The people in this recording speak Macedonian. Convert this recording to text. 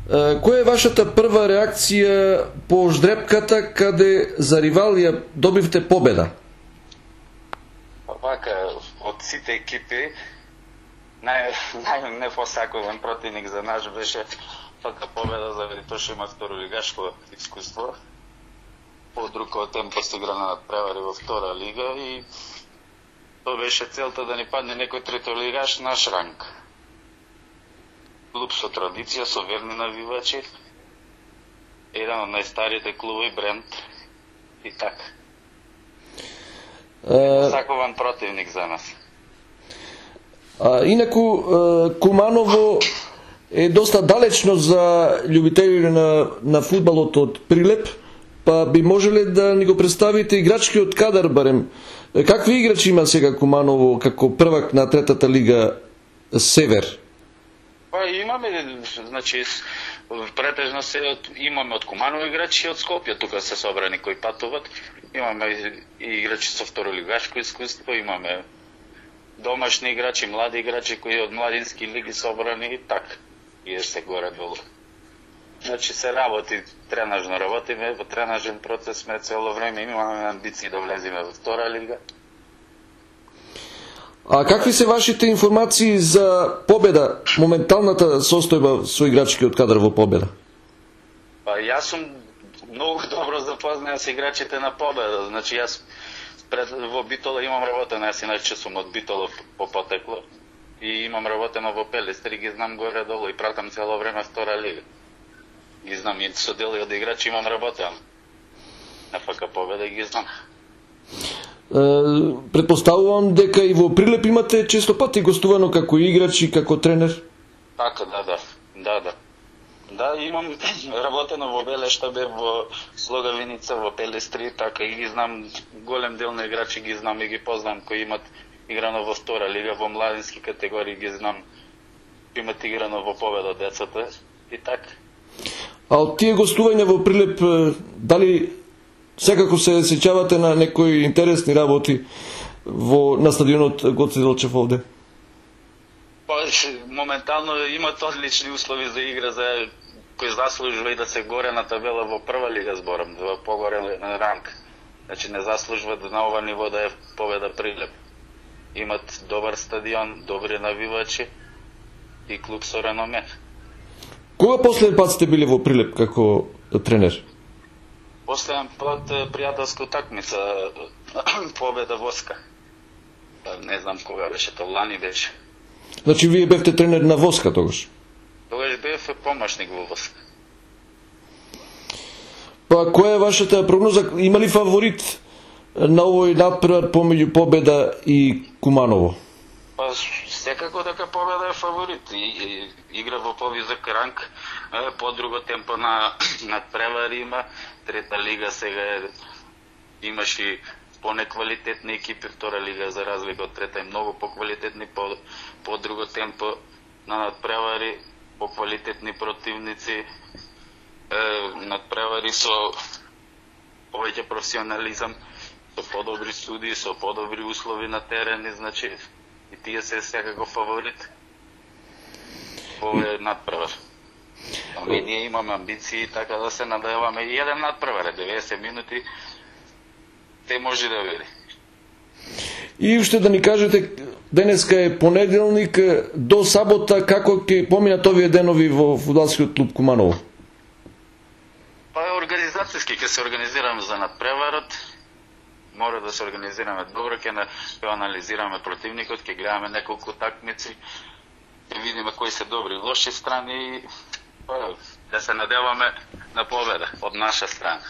Која е вашата прва реакција по ждрепката каде за ривал ја добивте победа? Вака, од сите екипи, најнепосакуван противник за нас беше ФК Победа, заради тоа што има второлигашко искуство. По-друго темпо се игра на надпревари во втора лига и тоа беше целта да ни падне некој третолигаш наш ранг. Клуб со традиција, со верни навивачи, еден од најстарите клубови, бренд и така. Сакуван противник за нас. Инаку, Куманово е доста далечно за љубители на фудбалот од Прилеп, па би можеле да ни го представите играчкиот кадар барем. Какви играчи има сега Куманово како првак на третата лига Север? Па имаме, значи, претежно се имаме од Куманово играчи и од Скопје, тука се собрани кои патуват. Имаме и играчи со второлигашко искуство, имаме домашни играчи, млади играчи кои од младински лиги собрани и така. И се горе-долу. Значи се работи, тренажно работиме, во тренажен процес сме цело време, имаме амбиции да влеземе во втора лига. А какви се вашите информации за Победа, моменталната состојба со играчкиот кадар во Победа? Па јас сум многу добро запознат со играчите на Победа. Значи јас во Битола имам работено, јас иначе сум од Битола по потекло и имам работено во Пелестри, ги знам горе-долу и пратам цело време втора лига. Ги знам и со дели од играчи имам работено. На ФК Победа ги знам. Предпоставувам дека и во Прилеп имате често пати гостувано како играч и како тренер? Така, да. Да, имам работено во Белешта, во Слогавиница, во Пелестри, така и ги знам голем дел на играчи, ги знам и ги познам кои имат играно во втора лига, во младински категории ги знам, имат играно во Победа децата и така. А од тие гостувања во Прилеп, дали секако се сеќавате на некои интересни работи на стадионот Гоце Делчев овде? Моментално имат одлични услови за игра, за кој заслужува и да се горе на табела во прва лига, зборам, во погоре на ранг. Значи не заслужува на ова ниво да е Победа Прилеп. Имат добар стадион, добри навивачи и клуб со реноме. Кога последен пат сте били во Прилеп како тренер? Последен пат пријателска утакмица Победа Воска. Не знам кога беше, тоа лани беше. Значи вие бевте тренер на Воска тогаш? Тогаш бев помошник во Воска. Па која е вашата прогноза? Има ли фаворит на овој надпревар помеѓу Победа и Куманово? Па секако дека Победа е фаворит. Игра во повизок ранг, по друго темпо на надпревари има. Трета лига сега имаш и понеквалитетни екипи, втора лига за разлика од трета е многу поквалитетни, по друго темпо на надпревари, поквалитетни противници, надпревари со повеќе професионализам, со подобри студии, со подобри услови на терени, значи и тие се секако фаворит во надпревар. Ами ние имаме амбиции така да се надеваме и еден надпревар, 90 минути, те може да види. И уште да ни кажете, денеска е понеделник, до сабота како ќе поминат овие денови во фудбалскиот клуб Куманово? Па организацијски ќе се организираме за надпреварот, мора да се организираме добро, ќе анализираме противникот, ќе гледаме неколку такмици, ќе видиме кои се добри и лоши страни и да се надеваме на победа од наша страна.